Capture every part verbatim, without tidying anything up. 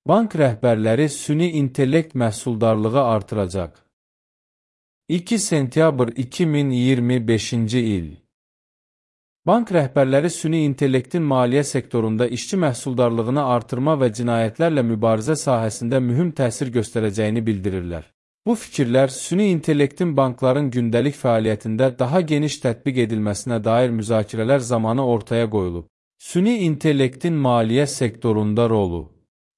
Bank rəhbərləri süni intellekt məhsuldarlığı artıracaq. iki sentyabr iki min iyirmi beşinci il. Bank rəhbərləri süni intellektin maliyyə sektorunda işçi məhsuldarlığını artırma və cinayətlərlə mübarizə sahəsində mühüm təsir göstərəcəyini bildirirlər. Bu fikirlər süni intellektin bankların gündəlik fəaliyyətində daha geniş tətbiq edilməsinə dair müzakirələr zamanı ortaya qoyulub. Süni intellektin maliyyə sektorunda rolu.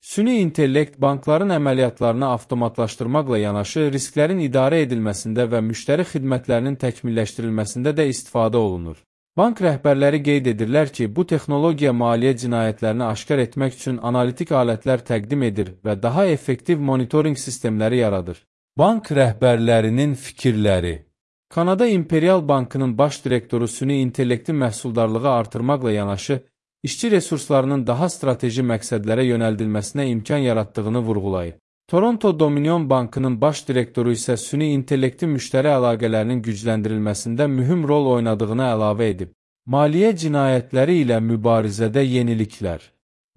Süni intellekt bankların əməliyyatlarını avtomatlaşdırmaqla yanaşı, risklərin idarə edilməsində və müştəri xidmətlərinin təkmilləşdirilməsində də istifadə olunur. Bank rəhbərləri qeyd edirlər ki, bu texnologiya maliyyə cinayətlərini aşkar etmək üçün analitik alətlər təqdim edir və daha effektiv monitorinq sistemləri yaradır. Bank rəhbərlərinin fikirləri. Kanada İmperial Bankının baş direktoru süni intellektin məhsuldarlığı artırmaqla yanaşı, işçi resurslarının daha strateji məqsədlərə yönəldilməsinə imkan yaratdığını vurğulayıb. Toronto Dominion Bankının baş direktoru isə süni intellektin müştəri əlaqələrinin gücləndirilməsində mühüm rol oynadığını əlavə edib. Maliyyə cinayətləri ilə mübarizədə yeniliklər.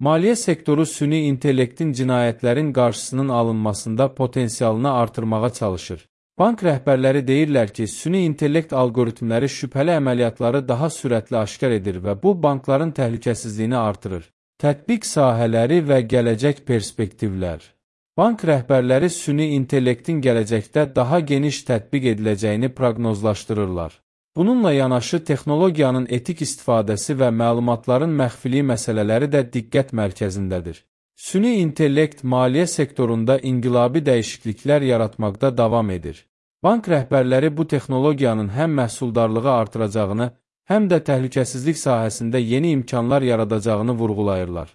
Maliyyə sektoru süni intellektin cinayətlərin qarşısının alınmasında potensialını artırmağa çalışır. Bank rəhbərləri deyirlər ki, süni intellekt algoritmləri şübhəli əməliyyatları daha sürətli aşkar edir və bu bankların təhlükəsizliyini artırır. Tətbiq sahələri və gələcək perspektivlər. Bank rəhbərləri süni intellektin gələcəkdə daha geniş tətbiq ediləcəyini proqnozlaşdırırlar. Bununla yanaşı, texnologiyanın etik istifadəsi və məlumatların məxfiliyi məsələləri də diqqət mərkəzindədir. Süni intellekt maliyyə sektorunda inqilabi dəyişikliklər yaratmaqda davam edir. Bank rəhbərləri bu texnologiyanın həm məhsuldarlığı artıracağını, həm də təhlükəsizlik sahəsində yeni imkanlar yaradacağını vurğulayırlar.